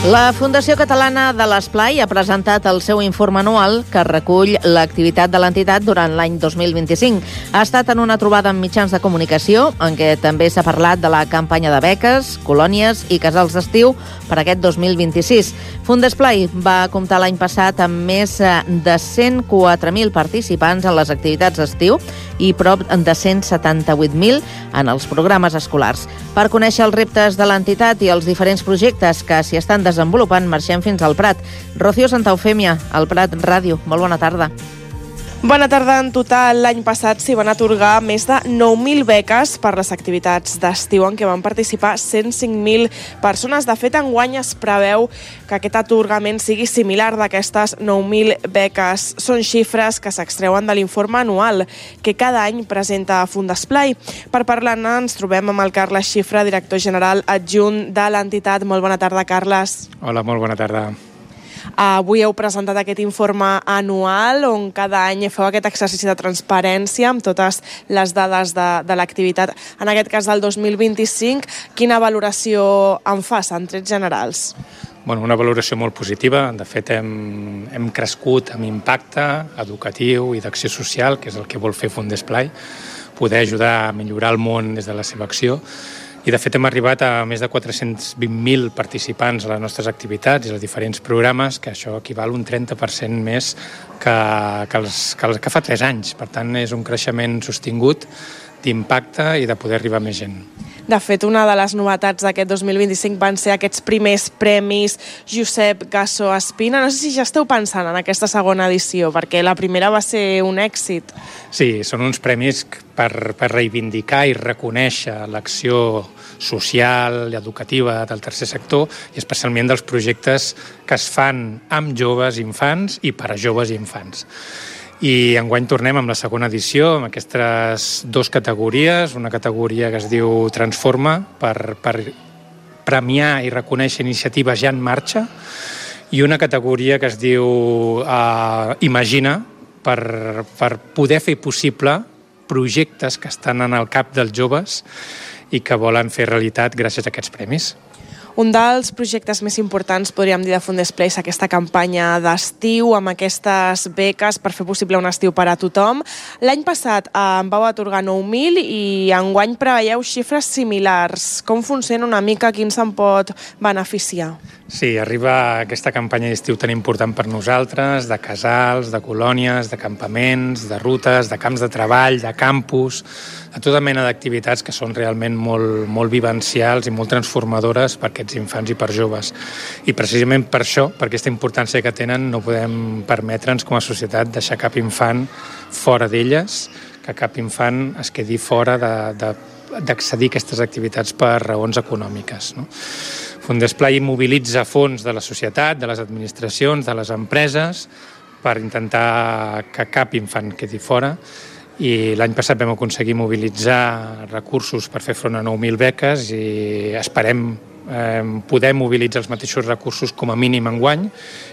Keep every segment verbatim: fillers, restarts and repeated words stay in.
La Fundació Catalana de l'Esplai ha presentat el seu informe anual que recull l'activitat de l'entitat durant l'any dos mil vint-i-cinc. Ha estat en una trobada amb mitjans de comunicació en què també s'ha parlat de la campanya de beques, colònies i casals d'estiu per aquest dos mil vint-i-sis. Fundesplai va comptar l'any passat amb més de cent quatre mil participants en les activitats d'estiu i prop de cent setanta-vuit mil en els programes escolars. Per conèixer els reptes de l'entitat i els diferents projectes que s'hi estan desenvolupant, desenvolupant, marxem fins al Prat. Rocío Santa Eufèmia, al Prat Ràdio. Molt bona tarda. Bona tarda. En total, l'any passat s'hi van atorgar més de nou mil beques per les activitats d'estiu en què van participar cent cinc mil persones. De fet, enguany es preveu que aquest atorgament sigui similar d'aquestes nou mil beques. Són xifres que s'extreuen de l'informe anual que cada any presenta Fundesplai. Per parlar-ne ens trobem amb el Carles Xifra, director general adjunt de l'entitat. Molt bona tarda, Carles. Hola, molt bona tarda. Avui heu presentat aquest informe anual on cada any feu aquest exercici de transparència amb totes les dades de, de l'activitat. En aquest cas del dos mil vint-i-cinc, quina valoració en fas en trets generals? Bueno, una valoració molt positiva. De fet, hem, hem crescut amb impacte educatiu i d'acció social, que és el que vol fer Fundesplai, poder ajudar a millorar el món des de la seva acció. I, de fet, hem arribat a més de quatre-cents vint mil participants a les nostres activitats i als diferents programes, que això equival un trenta per cent més que, que, els, que, els, que fa tres anys. Per tant, és un creixement sostingut d'impacte i de poder arribar a més gent. De fet, una de les novetats d'aquest dos mil vint-i-cinc van ser aquests primers premis Josep Gasso Espina. No sé si ja esteu pensant en aquesta segona edició, perquè la primera va ser un èxit. Sí, són uns premis per, per reivindicar i reconèixer l'acció social i educativa del tercer sector i especialment dels projectes que es fan amb joves i infants i per a joves i infants. I enguany tornem amb la segona edició, amb aquestes dues categories, una categoria que es diu Transforma, per, per premiar i reconèixer iniciatives ja en marxa, i una categoria que es diu uh, Imagina, per, per poder fer possible projectes que estan en el cap dels joves i que volen fer realitat gràcies a aquests premis. Un dels projectes més importants, podríem dir, de Fundesplai és aquesta campanya d'estiu amb aquestes beques per fer possible un estiu per a tothom. L'any passat eh, en vau atorgar nou mil i enguany preveieu xifres similars. Com funciona una mica? Quin se'n pot beneficiar? Sí, arriba aquesta campanya d'estiu tan important per nosaltres, de casals, de colònies, de campaments, de rutes, de camps de treball, de campus, de tota mena d'activitats que són realment molt, molt vivencials i molt transformadores per aquests infants i per joves. I precisament per això, per aquesta importància que tenen, no podem permetre'ns com a societat deixar cap infant fora d'elles, que cap infant es quedi fora de, de, d'accedir a aquestes activitats per raons econòmiques, no? Fundesplai mobilitza fons de la societat, de les administracions, de les empreses, per intentar que cap infant quedi fora. I l'any passat vam aconseguir mobilitzar recursos per fer front a nou mil beques i esperem eh, poder mobilitzar els mateixos recursos com a mínim enguany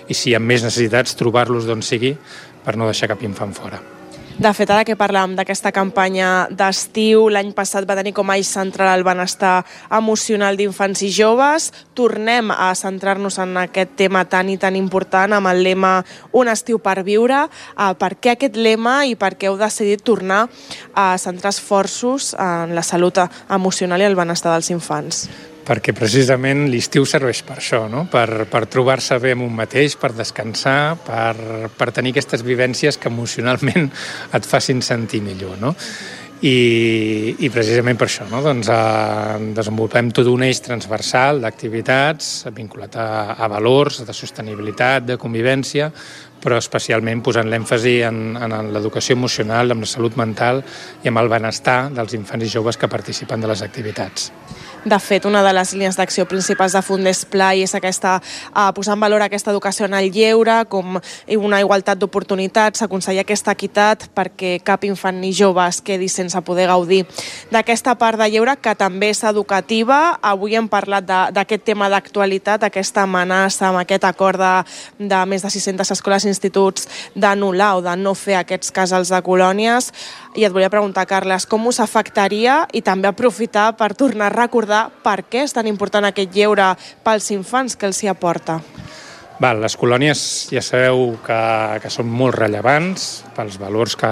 i, si hi ha més necessitats, trobar-los d'on sigui per no deixar cap infant fora. De fet, ara que parlàvem d'aquesta campanya d'estiu, l'any passat va tenir com a eix central el benestar emocional d'infants i joves. Tornem a centrar-nos en aquest tema tan i tan important amb el lema Un estiu per viure. Uh, per què aquest lema i per què heu decidit tornar a centrar esforços en la salut emocional i el benestar dels infants? Perquè precisament l'estiu serveix per això, no? Per, per trobar-se bé amb un mateix, per descansar, per, per tenir aquestes vivències que emocionalment et facin sentir millor, no? I, i precisament per això, no? Doncs, eh, desenvolupem tot un eix transversal d'activitats vinculat a, a valors, de sostenibilitat, de convivència, però especialment posant l'èmfasi en, en l'educació emocional, en la salut mental i amb el benestar dels infants i joves que participen de les activitats. De fet, una de les línies d'acció principals de Fundesplai és aquesta, eh, posar en valor aquesta educació en el lleure, com una igualtat d'oportunitats, aconseguir aquesta equitat perquè cap infant ni jove es quedi sense poder gaudir d'aquesta part de lleure que també és educativa. Avui hem parlat d'aquest tema d'actualitat, aquesta amenaça amb aquest acord de, de més de sis-centes escoles instituts d'anul·lar o de no fer aquests casals de colònies. I et volia preguntar, Carles, com us afectaria i també aprofitar per tornar a recordar per què és tan important aquest lleure pels infants que els hi aporta? Val, les colònies ja sabeu que, que són molt rellevants pels valors que,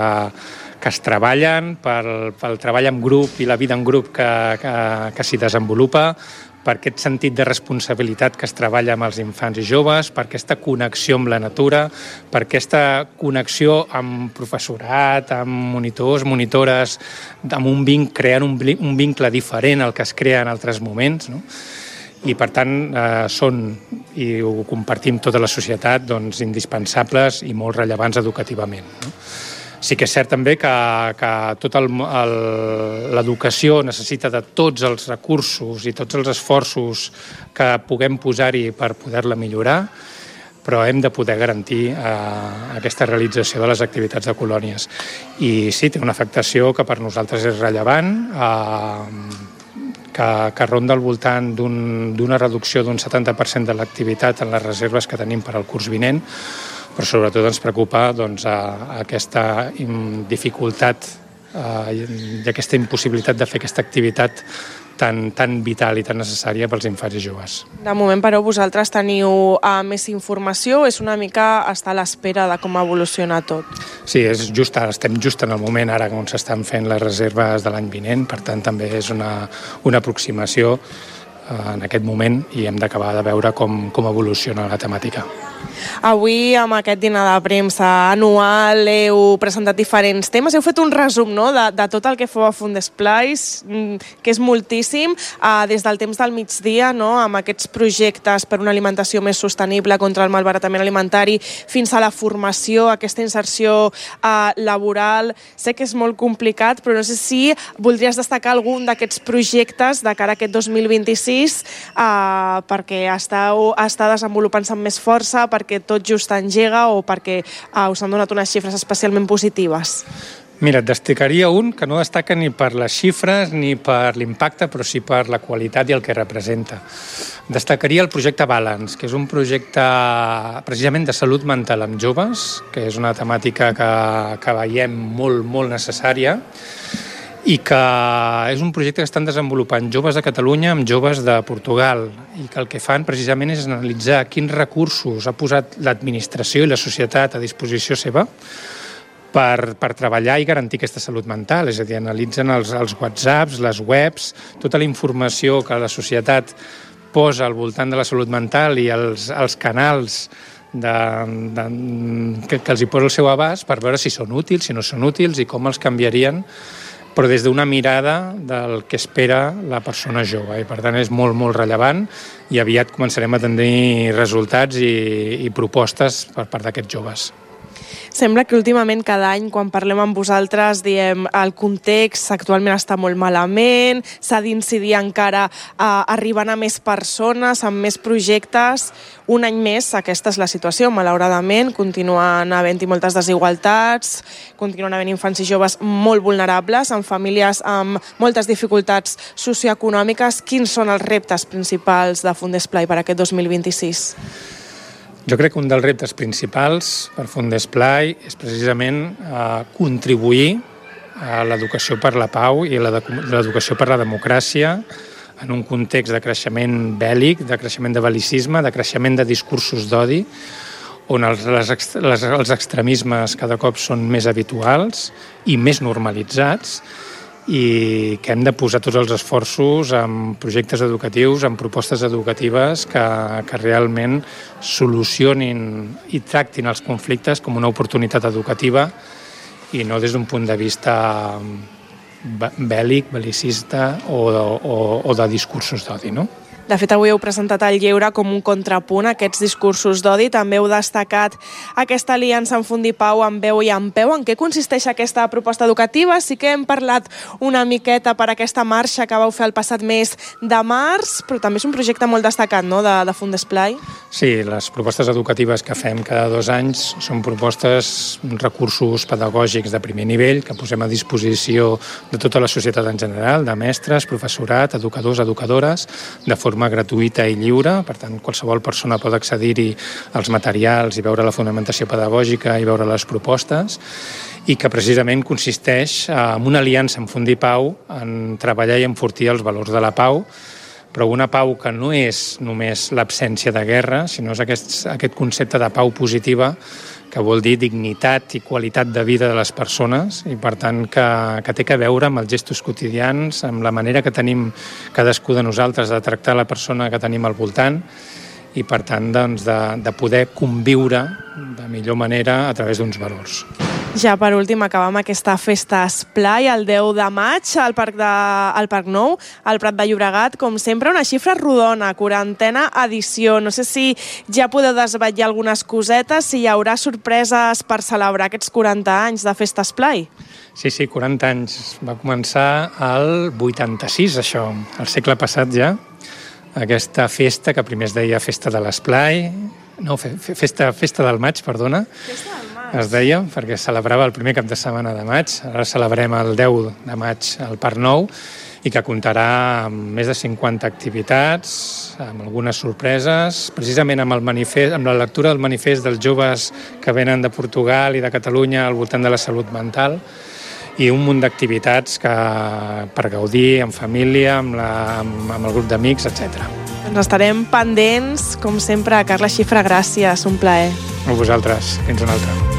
que es treballen, pel, pel treball en grup i la vida en grup que, que, que s'hi desenvolupa, per aquest sentit de responsabilitat que es treballa amb els infants i joves, per aquesta connexió amb la natura, per aquesta connexió amb professorat, amb monitors, monitores, amb un vincle, creant un, un vincle diferent al que es crea en altres moments, no? I per tant eh, són, i ho compartim tota la societat, doncs, indispensables i molt rellevants educativament, no? Sí que és cert també que, que tota l'educació necessita de tots els recursos i tots els esforços que puguem posar-hi per poder-la millorar, però hem de poder garantir eh, aquesta realització de les activitats de colònies. I sí, té una afectació que per nosaltres és rellevant, eh, que, que ronda al voltant d'una un, reducció d'un setanta per cent de l'activitat en les reserves que tenim per al curs vinent, però sobretot ens preocupa doncs, a, a aquesta dificultat eh, i aquesta impossibilitat de fer aquesta activitat tan, tan vital i tan necessària pels infants i joves. De moment, però, vosaltres teniu uh, més informació, és una mica estar a l'espera de com evoluciona tot? Sí, és just, estem just en el moment ara on s'estan fent les reserves de l'any vinent, per tant també és una, una aproximació uh, en aquest moment i hem d'acabar de veure com, com evoluciona la temàtica. Avui, amb aquest dinar de premsa anual, heu presentat diferents temes. Heu fet un resum, no?, de, de tot el que feu a Fundesplais, que és moltíssim, eh, des del temps del migdia, no?, amb aquests projectes per una alimentació més sostenible contra el malbaratament alimentari, fins a la formació, aquesta inserció eh, laboral. Sé que és molt complicat, però no sé si voldries destacar algun d'aquests projectes de cara a aquest dos mil vint-i-sis eh, perquè esteu, està desenvolupant-se amb més força, perquè tot just engega o perquè uh, us han donat unes xifres especialment positives? Mira, et destacaria un que no destaca ni per les xifres ni per l'impacte, però sí per la qualitat i el que representa. Destacaria el projecte Balance, que és un projecte precisament de salut mental amb joves, que és una temàtica que, que veiem molt, molt necessària, i que és un projecte que estan desenvolupant joves de Catalunya amb joves de Portugal i que el que fan precisament és analitzar quins recursos ha posat l'administració i la societat a disposició seva per, per treballar i garantir aquesta salut mental. És a dir, analitzen els, els whatsapps, les webs, tota la informació que la societat posa al voltant de la salut mental i els, els canals de, de, que, que els hi posa el seu abast per veure si són útils, si no són útils i com els canviarien, però des d'una mirada del que espera la persona jove. I per tant és molt, molt rellevant i aviat començarem a tenir resultats i, i propostes per part d'aquests joves. Sembla que últimament cada any quan parlem amb vosaltres diem el context actualment està molt malament, s'ha d'incidir encara eh, arribant a més persones, amb més projectes. Un any més aquesta és la situació, malauradament, continuen havent-hi moltes desigualtats, continuen havent infants i joves molt vulnerables, amb famílies amb moltes dificultats socioeconòmiques. Quins són els reptes principals de Fundesplai per aquest dos mil vint-i-sis? Jo crec que un dels reptes principals per Fundesplai és precisament eh, contribuir a l'educació per la pau i a l'educació per la democràcia en un context de creixement bèl·lic, de creixement de bel·licisme, de creixement de discursos d'odi, on els, les, les, els extremismes cada cop són més habituals i més normalitzats, i que hem de posar tots els esforços en projectes educatius, en propostes educatives que, que realment solucionin i tractin els conflictes com una oportunitat educativa i no des d'un punt de vista bèl·lic, bel·licista o, o, o de discursos d'odi, no? De fet, avui heu presentat el lleure com un contrapunt a aquests discursos d'odi. També heu destacat aquesta aliança en Fundipau amb veu i amb peu. En què consisteix aquesta proposta educativa? Sí que hem parlat una miqueta per aquesta marxa que vau fer el passat mes de març, però també és un projecte molt destacat, no?, de, de Fundesplai. Sí, les propostes educatives que fem cada dos anys són propostes, recursos pedagògics de primer nivell que posem a disposició de tota la societat en general, de mestres, professorat, educadors, educadores, de formació forma gratuïta i lliure, per tant qualsevol persona pot accedir-hi als materials i veure la fonamentació pedagògica i veure les propostes, i que precisament consisteix en una aliança amb Fundir Pau en treballar i enfortir els valors de la pau, però una pau que no és només l'absència de guerra, sinó és aquest, aquest concepte de pau positiva, que vol dir dignitat i qualitat de vida de les persones, i per tant que, que té que veure amb els gestos quotidians, amb la manera que tenim cadascú de nosaltres de tractar la persona que tenim al voltant, i per tant doncs, de, de poder conviure de millor manera a través d'uns valors. Ja per últim acabam aquesta festa Esplai el deu de maig al Parc, de, al Parc Nou, al Prat de Llobregat. Com sempre, una xifra rodona, quarantena edició. No sé si ja podeu desvetllar algunes cosetes, si hi haurà sorpreses per celebrar aquests quaranta anys de festa Esplai. Sí, sí, quaranta anys. Va començar el vuitanta-sis, això, el segle passat ja. Aquesta festa, que primer es deia Festa de l'Esplai, no, festa, festa del maig, perdona. Festa del maig. Es deia, perquè celebrava el primer cap de setmana de maig. Ara celebrem el deu de maig al Parc Nou, i que comptarà amb més de cinquanta activitats, amb algunes sorpreses, precisament amb el manifest, amb la lectura del manifest dels joves que venen de Portugal i de Catalunya al voltant de la salut mental, i un munt d'activitats que, per gaudir en família, amb, la, amb, amb el grup d'amics, etcètera. Ens estarem pendents, com sempre. Carla Xifra, gràcies, un plaer. A vosaltres, fins una altra.